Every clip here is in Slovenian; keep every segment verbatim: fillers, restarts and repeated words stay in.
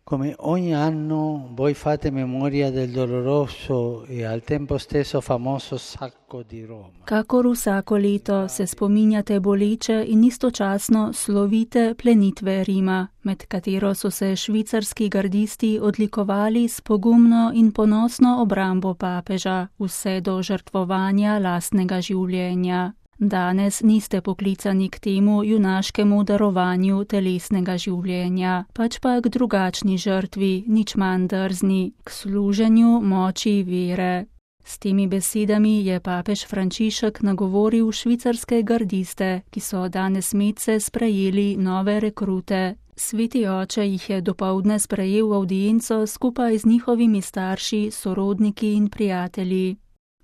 Come ogni anno voi fate memoria del doloroso e al tempo stesso famoso sacco di Roma. Kakor vsako leto se spominjate boleče in istočasno slovite plenitve Rima, med katero so se švicarski gardisti odlikovali s pogumno in ponosno obrambo papeža, vse do žrtvovanja lastnega življenja. Danes niste poklicani k temu junaškemu darovanju telesnega življenja, pač pa k drugačni žrtvi, nič manj drzni, k služenju moči vere. S temi besedami je papež Frančišek nagovoril švicarske gardiste, ki so danes medse sprejeli nove rekrute. Sveti oče jih je dopoldne sprejel v avdienco skupaj z njihovimi starši, sorodniki in prijatelji.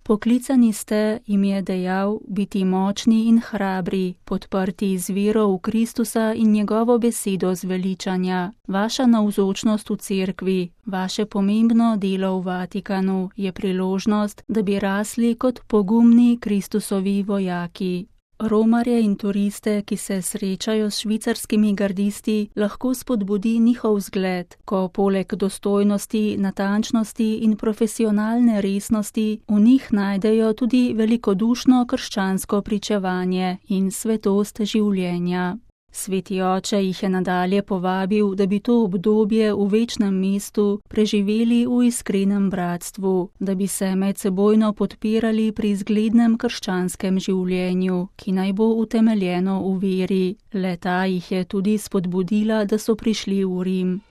Poklicani ste, jim je dejal, biti močni in hrabri, podprti z vero v Kristusa in njegovo besedo zveličanja. Vaša navzočnost v cerkvi, vaše pomembno delo v Vatikanu je priložnost, da bi rasli kot pogumni Kristusovi vojaki. Romarje in turiste, ki se srečajo s švicarskimi gardisti, lahko spodbudi njihov zgled, ko poleg dostojnosti, natančnosti in profesionalne resnosti v njih najdejo tudi velikodušno krščansko pričevanje in svetost življenja. Sveti oče jih je nadalje povabil, da bi to obdobje v večnem mestu preživeli v iskrenem bratstvu, da bi se medsebojno podpirali pri zglednem krščanskem življenju, ki naj bo utemeljeno v veri. Le-ta jih je tudi spodbudila, da so prišli v Rim.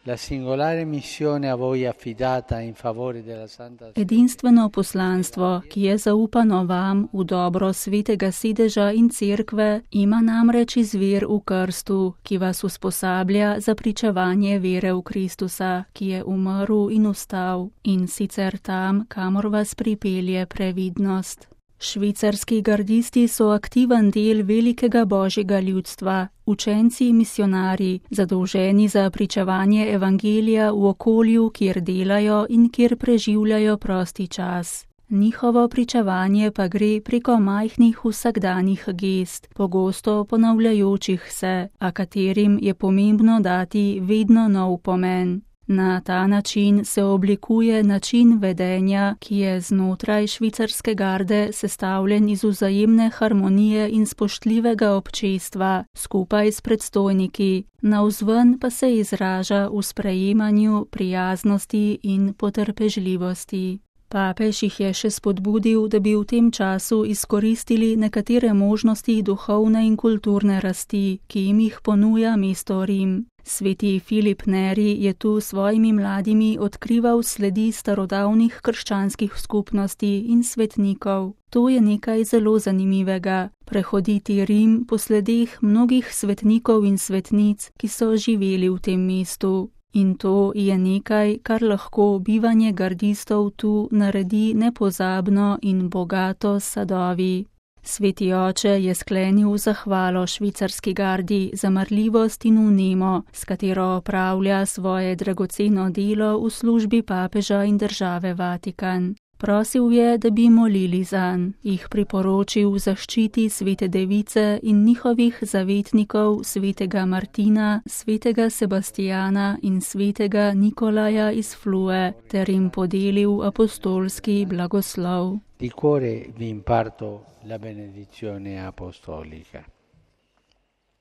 Edinstveno poslanstvo, ki je zaupano vam v dobro svetega sedeža in cerkve, ima namreč izvir v krstu, ki vas usposablja za pričevanje vere v Kristusa, ki je umrl in vstal, in sicer tam, kamor vas pripelje previdnost. Švicarski gardisti so aktiven del velikega božjega ljudstva, učenci misionarji, zadolženi za pričevanje evangelija v okolju, kjer delajo in kjer preživljajo prosti čas. Njihovo pričevanje pa gre preko majhnih vsakdanjih gest, pogosto ponavljajočih se, a katerim je pomembno dati vedno nov pomen. Na ta način se oblikuje način vedenja, ki je znotraj švicarske garde sestavljen iz vzajemne harmonije in spoštljivega občestva, skupaj s predstojniki, navzven pa se izraža v sprejemanju, prijaznosti in potrpežljivosti. Papež jih je še spodbudil, da bi v tem času izkoristili nekatere možnosti duhovne in kulturne rasti, ki jim jih ponuja mesto Rim. Sveti Filip Neri je tu svojimi mladimi odkrival sledi starodavnih krščanskih skupnosti in svetnikov. To je nekaj zelo zanimivega, prehoditi Rim po sledeh mnogih svetnikov in svetnic, ki so živeli v tem mestu. In to je nekaj, kar lahko bivanje gardistov tu naredi nepozabno in bogato s sadovi. Sveti oče je sklenil zahvalo švicarski gardi za marljivost in vnemo, s katero opravlja svoje dragoceno delo v službi papeža in države Vatikan. Prosil je, da bi molili zanj, jih priporočil zaščiti svete device in njihovih zavetnikov svetega Martina, svetega Sebastijana in svetega Nikolaja iz Flue, ter jim podelil apostolski blagoslov. Di cuore vi imparto la benedizione apostolica.